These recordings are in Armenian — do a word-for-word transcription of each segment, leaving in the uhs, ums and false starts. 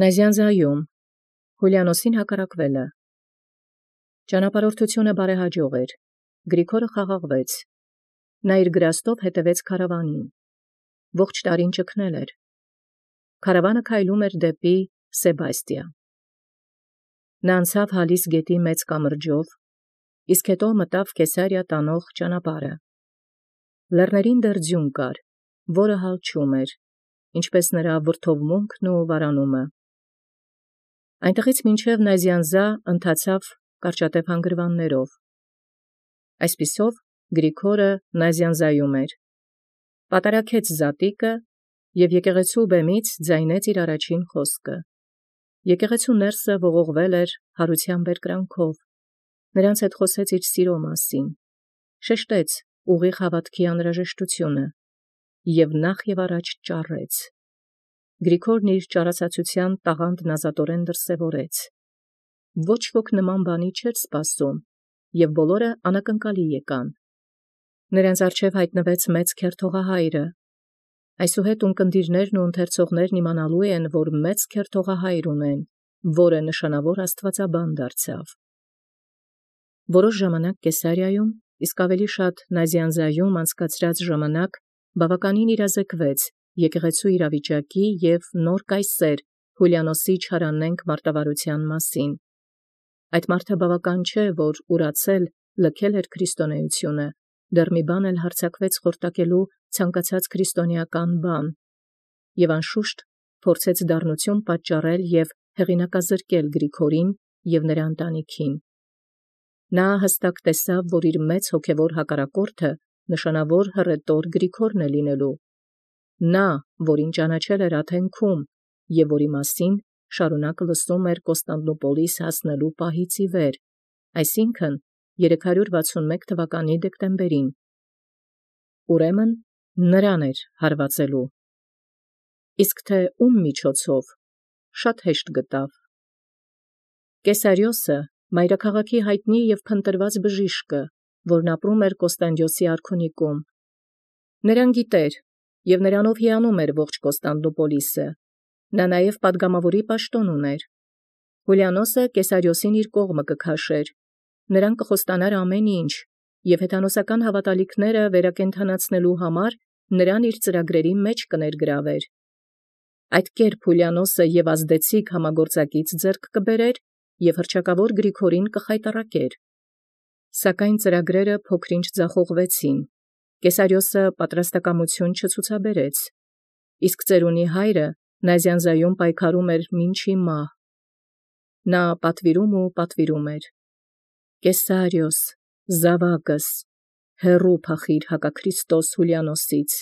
Նազյանզայում Հուլիանոսին հակառակվել։ Ճանապարհորդութիւնը բարեհաջող էր, Գրիգորը խաղաղվեց, նա իր գրաստով հետևեց քարավանին, ողջ տարին ճգնել էր, քարավանը քայլում էր դեպի Սեբաստիա։ Նա անցավ Հալիս գետի մեծ կամրջով, իսկ հետո մտավ Կեսարիա տանող ճանապարհը։ Լեռներին դեռ ձյուն կար, որը հալչում էր, ինչպես նրա վրդովմունքն ու վարանումը։ Այնտեղից մինչև Նազյանզա ընթացավ կարճատև հանգրվաններով։ Այսպիսով Գրիգորը Նազյանզայում էր, պատարագեց զատիկը և եկեղեցու բեմից ձայնեց իր առաջին խոսքը։ Եկեղեցու ներսը ողողվել էր հարության բերկրանքով, նրանց հետ խոսեց իր սիրո մասին, շեշտեց ուղիղ հաւատքի անհրաժեշտությունը և նախ և առաջ ճառեց։ Գրիգորն իր ճառացացութեան տաղանդն ազատորեն դրսևորեց։ Ոչ ոք նման բանի չէր սպասում, և բոլորը անակնկալի եկան։ Նրանց առջև յայտնվեց մեծ քերթողահայրը։ Այսուհետ ունկնդիրներն ու ընթերցողներն իմանալու են, որ մեծ քերթողահայր ունեն, որը նշանավոր աստուածաբան դարձավ։ Որոշ ժամանակ Կեսարիայում, իսկ ավելի շատ Նազյանզայում անցկացրած ժամանակ բավականին իրազեկվեց եկեղեցու իրավիճակի և նոր կայսեր Հուլիանոսի չարանենգ մարտավարութեան մասին։ Այդ մարդը բավական չէ, որ ուրացել լքել էր քրիստոնեությունը, դեռ մի բան էլ հարձակվեց խորտակելու ցանկացած քրիստոնեական բան, և անշուշտ փորձեց դառնություն պատճառել և հեղինակազրկել Գրիգորին և նրա ընտանիքին։ Նա հստակ տեսավ, որ իր մեծ հոգևոր հակառակորդը նշանավոր հռետոր Գրիգորն է լինելու։ Նա, որին ճանաչել էր Աթենքում և որի մասին շարունակ լսում էր Կոստանդնուպոլիս հասնելու պահից ի վեր, այսինքն երեք հարյուր վաթսունմեկ թվականի դեկտեմբերին։ Ուրեմն նրան էր հարվածելու։ Իսկ թե ում միջոցով, շատ հեշտ գտավ։ Կեսարիոսը, մայրաքաղաքի յայտնի և փնտրված բժիշկը, որն ապրում էր Կոստանդիոսի արքունիկում, նրան գիտեր և նրանով հիանում էր ողջ Կոստանդնուպոլիսը, նա նաև պատգամաւորի պաշտոն ուներ։ Հուլիանոսը Կեսարիոսին իր կողմը կքաշեր, նրան կխոստանար ամեն ինչ, և հեթանոսական հաւատալիքները վերակենդանացնելու համար նրան իր ծրագրերի մեջ կներգրավեր։ Այդ կերպ Հուլիանոսը և ազդեցիկ համագործակից ձեռք կբերեր և հռչակավոր Գրիգորին կխայտառակեր։ Սակայն ծրագրերը փոքր-ինչ ձախողվեցին, Կեսարիոսը պատրաստակամություն չցուցաբերեց, իսկ ծերունի հայրը Նազյանզայում պայքարում էր մինչ հիմա։ Նա պատվիրում ու պատվիրում էր. «Կեսարիոս, զաւակս, հեռու փախիր հակաքրիստոս Հուլիանոսից»։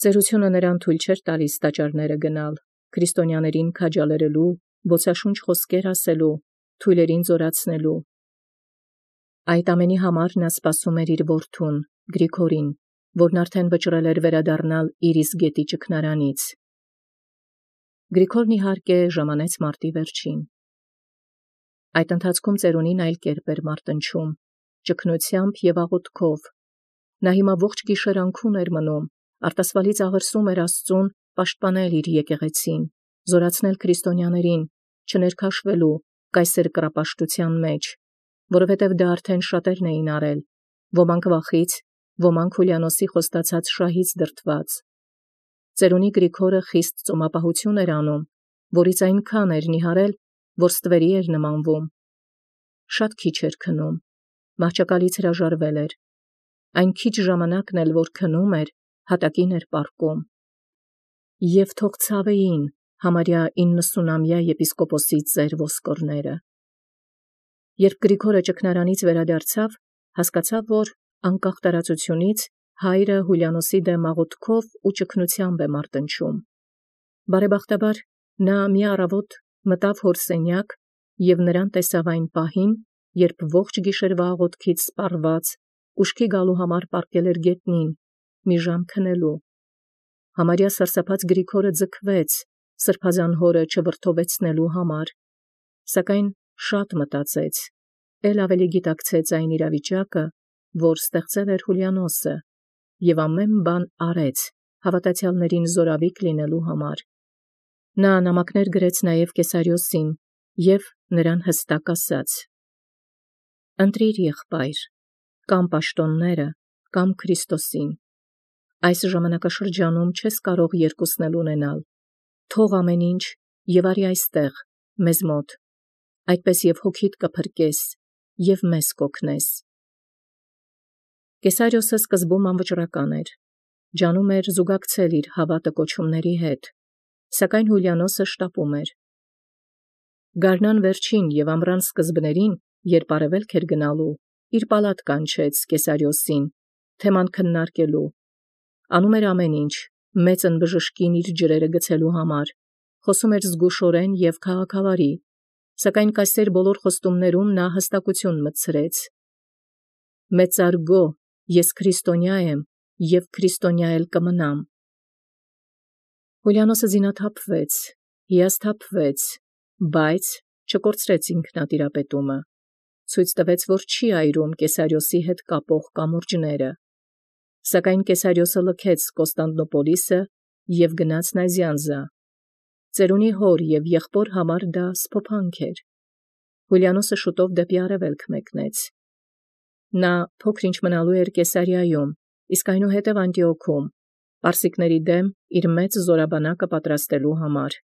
Ծերությունը նրան թույլ չէր տալիս տաճարները գնալ, քրիստոնյաներին քաջալերելու, բոցաշունչ խոսքեր ասելու, թույլերին զորացնելու։ Այդ ամենի համար նա սպասում էր իր որդուն Գրիգորին, որն արդեն վճռել էր վերադառնալ իր իսկ գետի ճգնարանից։ Գրիգորն իհարկե ժամանեց մարտի վերջին։ Այդ ընթացքում ծերունին այլ կերպ էր մարտնչում, ճգնությամբ և աղոթքով։ Նա հիմա ողջ գիշեր անքուն էր մնում, արտասվալից աղրսում էր Աստծուն պաշտպանել իր եկեղեցին, զորացնել քրիստոնյաներին, չներքաշվելու կայսեր կռապաշտութեան մեջ, որովհետև դա արդեն շատերն էին արել, ոմանք վախից, ոմանք Հուլիանոսի խոստացած շահից դրդված։ Ծերունի Գրիգորը խիստ ծոմապահություն էր անում, որից այնքան էր նիհարել, որ ստվերի էր նմանվում։ Շատ քիչ էր քնում, մահճակալից հրաժարվել էր։ Այն քիչ ժամանակն էլ, որ քնում էր, հատակին էր պառկում։ Եվ թող ցավեին համարյա իննսունամյա եպիսկոպոսի ծեր ոսկորները։ Երբ Գրիգորը ճգնարանից վերադարձավ, հասկացավ, որ անկախ տարածությունից հայրը Հուլիանոսի դեմ աղոթքով ու ճգնությամբ է մարտնչում։ Բարեբախտաբար նա մի առավոտ մտավ հոր սենյակ և նրան տեսավ այն պահին, երբ ողջ գիշերվա աղոթքից սպառված ուշքի գալու համար պառկել էր գետնին, մի ժամ քնելու։ Համարյա սարսափած Գրիգորը ձգվեց սրբազան հորը չվրդովեցնելու համար, սակայն շատ մտածեց, էլ ավելի գիտակցեց այն իրավիճակը, որ ստեղծել էր Հուլիանոսը, և ամեն բան արեց հավատացյալներին զորավիք լինելու համար։ Նա նամակներ գրեց նաև Կեսարիոսին և նրան հստակ ասաց. «Ընտրիր եղբայր, կամ պաշտոնները, կամ Քրիստոսին. այս ժամանակաշրջանում չես կարող երկուսն էլ ունենալ, թող ամեն ինչ և արի այստեղ, մեզ մոտ, այդպես և հոգիդ կփրկես, և մեզ կօգնես»։ Կեսարիոսը սկզբում անվճռական էր, ջանում էր զուգակցել իր հավատը կոչումների հետ, սակայն Հուլիանոսը շտապում էր։ Գարնան վերջին և ամռան սկզբներին, երբ արևելք էր գնալու, իր պալատ կանչեց Կեսարիոսին, թեման քննարկելու, անում էր ամեն ինչ, մեծ ընբժշկին իր ջրերը գցելու համար, խոսում էր զգուշորեն և քաղաքավարի, սակայն կայսեր բոլոր խոստումներում նա հստակություն մտցրեց. «Մեծարգո, ես քրիստոնյա եմ և քրիստոնյա էլ կմնամ»։ Հուլիանոսը զինաթափվեց, հիասթափվեց, բայց չկորցրեց ինքնատիրապետումը, ցույց տվեց, որ չի այրում Կեսարիոսի հետ կապող կամուրջները, սակայն Կեսարիոսը լքեց Կոստանդնուպոլիսը և գնաց Նազյանզա։ Ծերունի հոր և եղբոր համար դա սփոփանք էր։ Հուլիանոսը շուտով դեպի արևելք մեկնեց։ Նա փոքր-ինչ մնալու էր Կեսարիայում, իսկ այնուհետև Անտիոքում, պարսիկների դեմ իր մեծ զորաբանակը պատրաստելու համար։